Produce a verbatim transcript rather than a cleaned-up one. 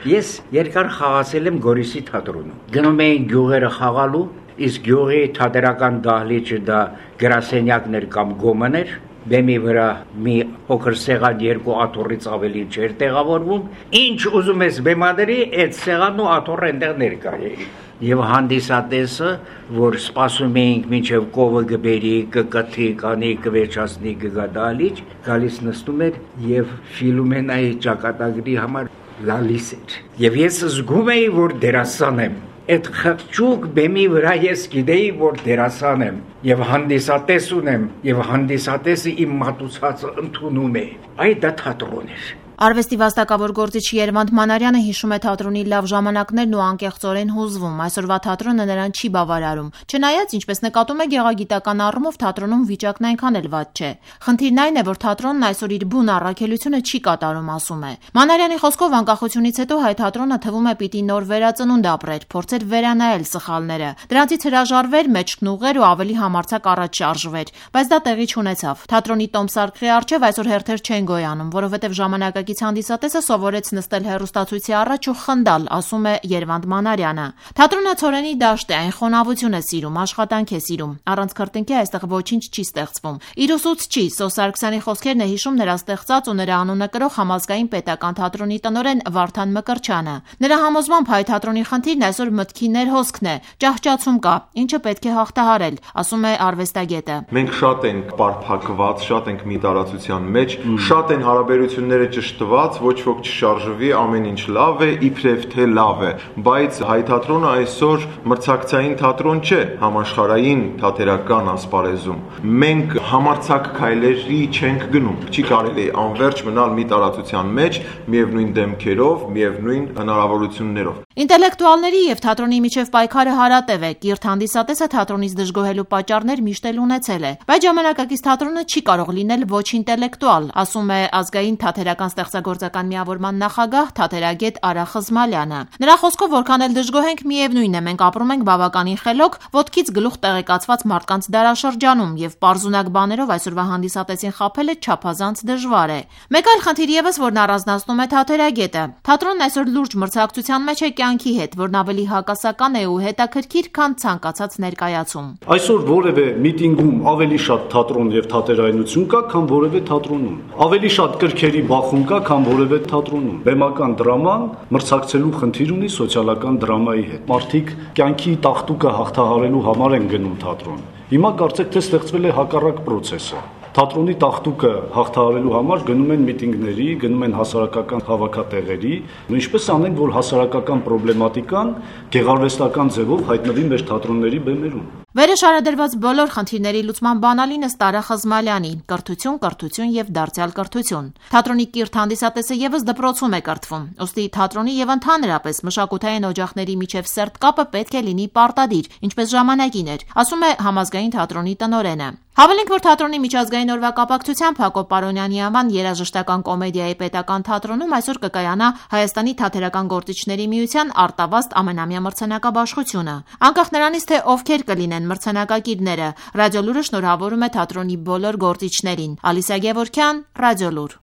Ես երկար խաղացել եմ Գորիսի թատրոնում։ Գնում էին գյուղերը խաղալու, իսկ գյուղի թատերական դահլիճը դա գրասենյակներ կամ գոմներ, բեմի վրա մի փոքր սեղան երկու աթոռից ավելի չէր տեղավորվում, ինչ ուզում ես բեմադրի, այդ սեղանն ու աթոռը այնտեղ ներկա էին։ Եվ հանդիսատեսը, որ սպասում էինք մինչև կովը գբերի, կկթի, կանի, կվերջացնի, կգա դահլիճ, գալիս նստում էր եւ ֆիլմենայի ճակատագրի համար լալիս էր։ Եվ ես զգում էի, որ դերասան եմ։ Այդ խղճուկ բեմի վրա ես գիտեի, որ դերասան եմ եւ հանդիսատես ունեմ եւ հանդիսատեսը իմ մատուցածը ընդունում է։ Այ դա թատրոն էր։ Արվեստի վաստակավոր գործիչ Երվանդ Մանարյանը հիշում է թատրոնի լավ ժամանակներն ու անկեղծորեն հուզվում։ Այսօրվա թատրոնը նրան չի բավարարում։ Չնայած, ինչպես նկատում է, գեղագիտական առումով թատրոնում վիճակն այնքան էլ վատ չէ։ Խնդիրն այն է, որ թատրոնն այսօր իր բուն առաքելությունը չի կատարում, ասում է։ Մանարյանի խոսքով անկախությունից հետո հայ թատրոնը թվում է պիտի նոր վերածնունդ ապրեր, փորձեր վերանայել սխալները։ Դրանցից հրաժարվեր, մեջքն ուղղեր ու ավելի համարձակ առաջ շարժվեր, բայց դա տեղի չունեցավ։ Թատրոնի տոմսարկղի առջև այսօր հերթեր չեն գոյանում, որովհետև ժամանակ հանդիսատեսը սովորեց նստել հեռուստացույցի առաջ ու խնդալ, ասում է Երվանդ Մանարյանը։ Թատրոնը ցորենի դաշտ է, այն խոնավություն է սիրում, աշխատանք է սիրում։ Առանց քրտինքի այստեղ ոչինչ չի ստեղծվում։ Իր ուսուցչի Սոս Սարգսյանի խոսքերն է հիշում նրա ստեղծած ու նրա անունը կրող համազգային պետական թատրոնի տնօրեն Վարդան Մկրտչյանը։ Նրա համոզմամբ հայ թատրոնի խնդիրն այսօր մտքի ներհոսքն է, ճահճացում կա, ինչը պետք է հաղթահարել, ասում է արվեստագետը։ Մենք շատ ենք պարփակված, շատ ենք մի տարածության մեջ, շատ են հարաբերությունները ճշտված, ոչ ոք չշարժվի, ամեն ինչ լավ է, իբրև թե լավ է, բայց հայ թատրոնը այսօր մրցակցային թատրոն չէ համաշխարհային թատերական ասպարեզում։ Մենք համարձակ քայլերի չենք գնում։ Չի կարելի անverջ մնալ մի տարածության մեջ, միևնույն դեմքերով, միևնույն հնարավորություններով։ Ինտելեկտուալների եւ թատրոնի միջև պայքարը հարատև է։ Կիրթ հանդիսատեսը թատրոնից դժգոհելու պատճառներ միշտ էլ ունեցել է, բայց ժամանակակից թատրոնը չի կարող լինել ոչ ինտելեկտուալ, ասում է ազգային թատերական ստեղծագործական միավորման նախագահ թատերագետ Արա Խզմալյանը։ Նրա խոսքով, որքան էլ դժգոհ ենք, միևնույն է, մենք ապրում ենք բավականին խելոք, ոտքից գլուխ տեղեկացված մարդկանց դարաշրջանում եւ պարզունակ բաներով այսօրվա հանդիսատեսին խաբելը չափազանց դժվար է։ Մեկ այլ խնդիր եւս, որն առանձնացնում է թատերագետը։ Թատրոնն այսօր լուրջ մրցակցության մեջ է կյանքի հետ, որն ավելի հակասական է ու հետաքրքիր, քան ցանկացած ներկայացում։ Այսօր որևէ միտինգում ավելի շատ թատրոն եւ թատերայնություն կա, քան որևէ թատրոնում։ Ավելի շատ կրքերի բախում կա, քան որևէ թատրոնում։ Բեմական դրաման մրցակցելու խնդիր ունի սոցիալական դրամայի հետ։ Մարդիկ կյանքի տաղտուկը հաղթահարելու համար են գնում թատրոն։ Հիմա կարծեք թե ստեղծվել է հակառակ process-ը։ Թատրոնի տաղտուկը հաղթահարելու համար գնում են միտինգների, գնում են հասարակական հավաքատեղերի, ու ինչպես անենք, որ հասարակական պրոբլեմատիկան գեղարվեստական ձևով հայտնվի մեր թատրոնների բեմերում։ Վերը շարադրված բոլոր խնդիրների լուծման բանալին ըստ Արա Խզմալյանի՝ կրթություն, կրթություն եւ դարձյալ կրթություն։ Թատրոնի կիրթ հանդիսատեսը եւս դպրոցում է կրթվում։ Ուստի թատրոնի եւ ընդհանրապես մշակութային օջախների միջև սերտ կապը պետք է լինի պարտադիր, ինչպես ժամանակին էր, ասում է համազգային թատրոնի տնօրենը։ Հավելենք, որ թատրոնի միջազգային օրվա կապակցությամբ Հակոբ Պարոնյանի անվան երաժշտական կոմեդիայի պետական թատրոնում այսօր կկայանա Հայաստանի թատերական գործիչների միության արտավազդ ամենամյա մրցանակաբաշխությունը։ Անկախ նրանից, թե ովքեր կլինեն մրցանակակիրները, Ռադիոլուրը շնորհավորում է թատրոնի բոլոր գործիչներին։ Ալիսա Գևորգյան, Ռադիոլուր։